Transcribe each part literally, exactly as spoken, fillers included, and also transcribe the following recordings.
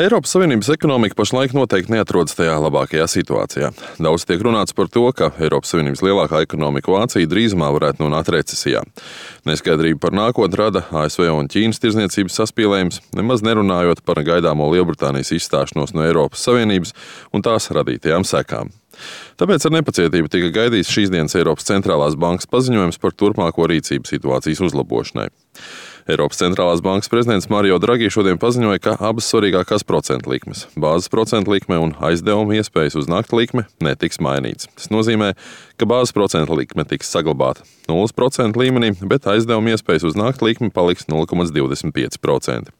Eiropas Savienības ekonomika pašlaik noteikti neatrodas tajā labākajā situācijā. Daudz tiek runāts par to, ka Eiropas Savienības lielākā ekonomika Vācija drīzumā varētu nonākt recesijā. Neskaidrība par nākotni rada A S V un Ķīnas tirdzniecības saspīlējums, nemaz nerunājot par gaidāmo Lielbritānijas izstāšanos no Eiropas Savienības un tās radītajām sekām. Tāpēc ar nepacietību tika gaidīts šīs dienas Eiropas centrālās bankas paziņojums par turpmāko rīcību situācijas uzlabošanai. Eiropas centrālās bankas prezidents Mario Draghi šodien paziņoja, ka abas svarīgākās procentu likmes – bāzes procentu likme un aizdevuma iespējas uz nakti likme – netiks mainīts. Tas nozīmē, ka bāzes procentu likme tiks saglabāta nulles procentu līmenī, bet aizdevuma iespējas uz nakti likme paliks nulle komats divdesmit pieci procenti.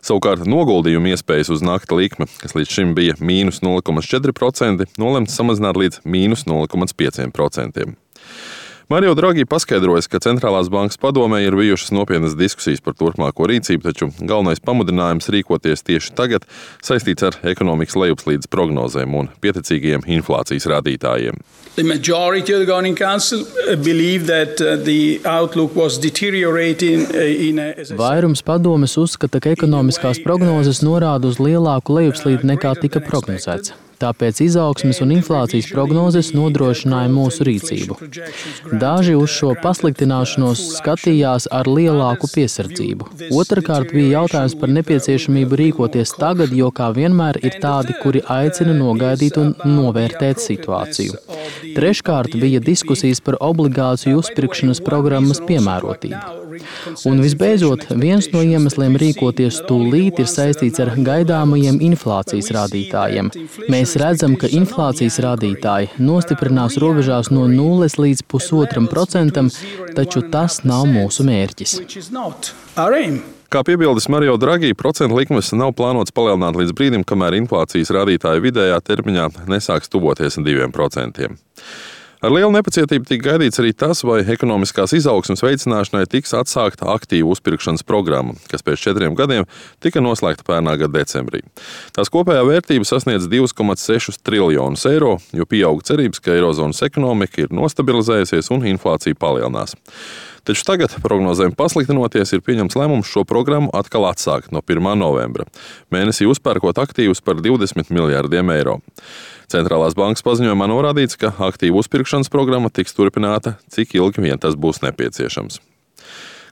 Savukārt noguldījuma iespējas uz nakti likme, kas līdz šim bija mīnus nulle komats četri procenti, nolemts samazināt līdz mīnus nulle komats pieci procenti. Mario Draghi paskaidrojas, ka centrālās bankas padomē ir bijušas nopietnas diskusijas par turpmāko rīcību, taču galvenais pamudinājums rīkoties tieši tagad saistīts ar ekonomikas lejupslīdes prognozēm un pieticīgiem inflācijas rādītājiem. The majority of the Governing Council believe that the outlook was deteriorating in a... Vairums padomes uzskata, ka ekonomiskās prognozes norāda uz lielāku lejupslīdi nekā tika prognozēts. Tāpēc izaugsmes un inflācijas prognozes nodrošināja mūsu rīcību. Daži uz šo pasliktināšanos skatījās ar lielāku piesardzību. Otrakārt bija jautājums par nepieciešamību rīkoties tagad, jo kā vienmēr ir tādi, kuri aicina nogaidīt un novērtēt situāciju. Treškārt bija diskusijas par obligāciju uzpirkšanas programmas piemērotību. Un visbeidzot, viens no iemesliem rīkoties tūlīt ir saistīts ar gaidāmajiem inflācijas rādītājiem. Mēs redzam, ka inflācijas rādītāji nostiprinās robežās no nulles līdz pusotram procentam, taču tas nav mūsu mērķis. Kā piebildes Mario Draghi, procentu likmes nav plānots palielināt līdz brīdim, kamēr inflācijas rādītāji vidējā termiņā nesāks tuvoties diviem procentiem. Ar lielu nepacietību tika gaidīts arī tas, vai ekonomiskās izaugsmes veicināšanai tiks atsākta aktīvu uzpirkšanas programma, kas pēc četriem gadiem tika noslēgta pērnā gada decembrī. Tās kopējā vērtība sasniedz divus komats sešus triljonus eiro, jo pieauga cerības, ka eirozonas ekonomika ir nostabilizējusies un inflācija palielinās. Taču tagad, prognozēm pasliktinoties, ir pieņemts lēmums šo programmu atkal atsākt no pirmā novembra, mēnesī uzpērkot aktīvus par divdesmit miljārdiem eiro. Centrālās bankas paziņojumā norādīts, ka aktīvu uzpirkšanas programma tiks turpināta, cik ilgi vien tas būs nepieciešams.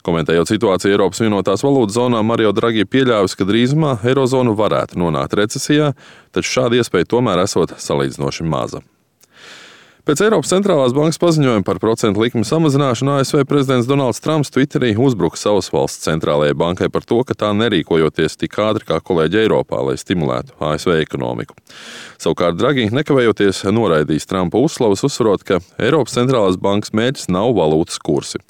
Komentējot situāciju Eiropas vienotās valūtas zonā, Mario Draghi pieļāvis, ka drīzumā eirozonu varētu nonākt recesijā, taču šāda iespēja tomēr esot salīdzinoši maza. Pēc Eiropas centrālās bankas paziņojuma par procentu likmi samazināšanu A S V prezidents Donalds Trumps Twitterī uzbruka savas valsts centrālajai bankai par to, ka tā nerīkojoties tik ātri kā kolēģi Eiropā, lai stimulētu A S V ekonomiku. Savukārt Draghi nekavējoties noraidījis Trumpa uzslavas, uzsverot, ka Eiropas centrālās bankas mērķis nav valūtas kursi.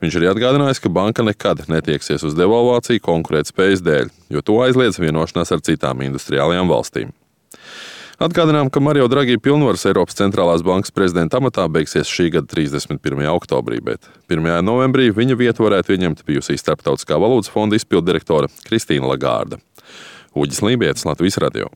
Viņš arī atgādinājis, ka banka nekad netieksies uz devalvāciju konkurētspējas dēļ, jo to aizliedz vienošanās ar citām industriālajām valstīm. Atgādinām, ka Mario Draghi pilnvaras Eiropas centrālās bankas prezidenta amatā beigsies šī gada trīsdesmit pirmajā oktobrī, bet pirmajā novembrī viņa vietu varētu ieņemt bijusī Starptautiskā valūtas fonda izpilddirektore Kristīna Lagarde. Uģis Lībietis, Latvijas radio.